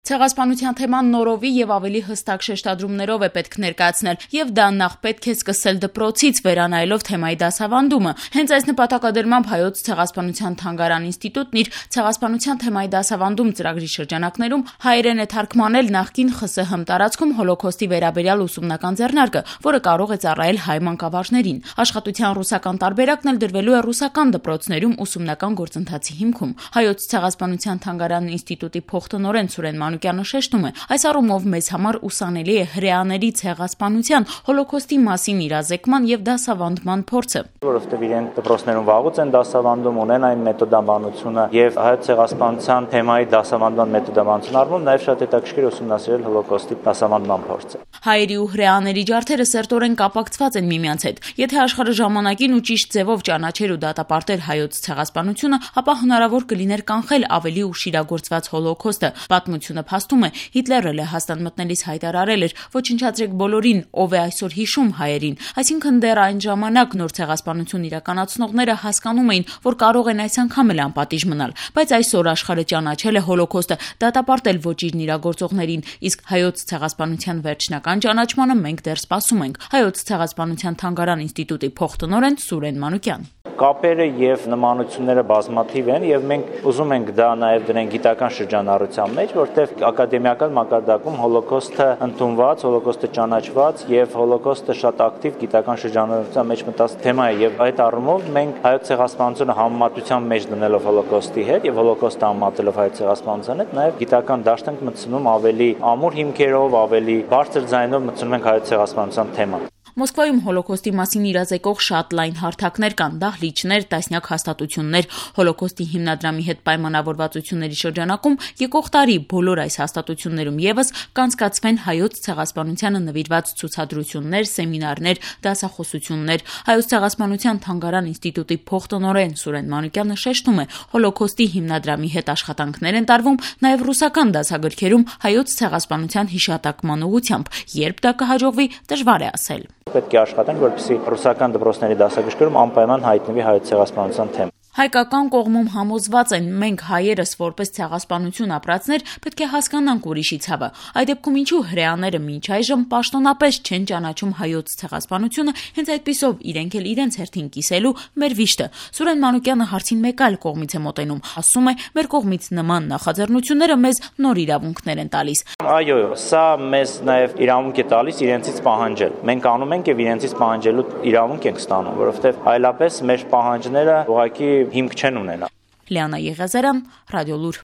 Ցեղասպանության թեման նորովի եւ ավելի հստակ շեշտադրումներով է պետք ներկայացնել, եւ դա նախ պետք է սկսել դպրոցից, վերանայելով թեմայի դասավանդումը։ Հենց այս նպատակադրմամբ Հայոց ցեղասպանության թանգարան ինստիտուտն իր ցեղասպանության թեմայի դասավանդում ծրագրի շրջանակներում հայերեն է թարգմանել նախկին ԽՍՀՄ տարածքում հոլոքոստի վերաբերյալ ուսումնական ձեռնարկը, որը կարող է ծառայել հայ մանկավարժներին։ Աշխատության ռուսական տարբերակն էլ դրվելու է ռուսական դպրոցներում ուսումնական գործընթացի հիմքում։ Հայոց ցեղասպանության թանգարան ինստիտուտի փոխտնօրեն Սուրեն Մանուկյանը շեշտում է, այս առումով մեզ համար ուսանելի է հրեաների ցեղասպանության, հոլոքոստի մասին իրազեկման եւ դասավանդման փորձը։ Որովհետեւ իրենք դպրոցներում վաղուց են դասավանդում, ունեն այն մեթոդաբանությունը եւ հայոց ցեղասպանության թեմայի դասավանդման մեթոդաբանության առումով նաեւ շատ հետաքրքիր ուսումնասիրել հոլոքոստի դասավանդման փորձը։ Հայերի ու հրեաների ջարդերը սերտորեն կապակցված են միմյանց հետ։ Եթե աշխարհը ժամանակին ու ճիշտ ձևով ճանաչեր ու դատապարտեր հայոց ցեղասպանությունը, ապա հնարավոր կլիներ կանխել ավելի ուշ իրագործված հոլոքոստը։ Պատմությունը փաստում է, Հիտլերը Լեհաստան մտնելիս հայտարարել էր. «Ոչնչացրեք բոլորին, ով է այսօր հիշում հայերին»։ Այսինքն դեռ այն ժամանակ նոր ցեղասպանություն իրականացնողները հասկանում էին, որ կարող են այս անգամ էլ անպատիժ մնալ, բայց այսօր աշխարհը ճանաչել է հոլոքոստը, դատապարտել ոճիրն իրագործողներին, իսկ հայոց ցեղասպանության վերջնական ճանաչմանը մենք դեռ սպասում ենք։ Հայոց ցեղասպանության թանգարան ինստիտուտի փոխտնօրեն Սուրեն Մանուկյան։ Կապերը եւ նմանությունները բազմաթիվ են եւ մենք ուզում ենք դա նաեւ դրենք գիտական շրջանառության մեջ, որտեղ ակադեմիական մակարդակում հոլոքոստը ընդունված, հոլոքոստը ճանաչված եւ հոլոքոստը շատ ակտիվ գիտական շրջանառության մեջ մտած թեմա է եւ այդ առումով մենք հայոց ցեղասպանությունը համեմատության մեջ դնելով հոլոքոստի հետ եւ հոլոքոստը համեմատելով հայոց ցեղասպանության հետ նաեւ գիտական դաշտ ենք մտցնում ավելի ամուր հիմքերով, ավելի բարձր ձայնով մտցնում ենք հայոց ցեղասպանության թեման։ Մոսկվայում հոլոքոստի մասին իրազեկող շատ լայն հարթակներ կան, դահլիճներ, տասնյակ հաստատություններ։ Հոլոքոստի հիմնադրամի հետ պայմանավորվածությունների շրջանակում եկող տարի բոլոր այս հաստատություններում եւս կանցկացվեն հայոց ցեղասպանությանը նվիրված ցուցադրություններ, սեմինարներ, դասախոսություններ։ Հայոց ցեղասպանության թանգարան ինստիտուտի փոխտնօրեն Սուրեն Մանուկյանը շեշտում է, հոլոքոստի հիմնադրամի հետ աշխատանքներ են տարվում նաեւ ռուսական դասագրքերում հայոց ցեղասպանության հիշատակման ուղղությամբ, երբ դա կհաջողվի, դժվար է ասել։ Պետք է աշխատենք, որպեսզի ռուսական դպրոցների դասագրքերում անպայման հայտնվի հայոց ցեղասպանության թեման։ Հայկական կողմում համոզված են, մենք հայերս որպես ցեղասպանություն ապրածներ պետք է հասկանանք ուրիշի ցավը։ Այդ դեպքում ինչու հրեաները մինչ այժմ պաշտոնապես չեն ճանաչում հայոց ցեղասպանությունը, հենց այդպիսով իրենք էլ իրենց հերթին կիսելու մեր վիշտը։ Սուրեն Մանուկյանը հարցին մեկ այլ կողմից է մոտենում, ասում է, մեր կողմից նման նախաձեռնությունները մեզ նոր իրավունքներ են տալիս։ Այո, սա մեզ նաև իրավունք է տալիս իրենցից պահանջել։ Մենք անում ենք եւ իրենցից պահանջելու իրավունք ենք ստանում, որովհետեւ այլապես մեր պահանջները ուղղակի հիմք չեն ունենա։ Լիանա Եղիազարյան, Ռադիոլուր։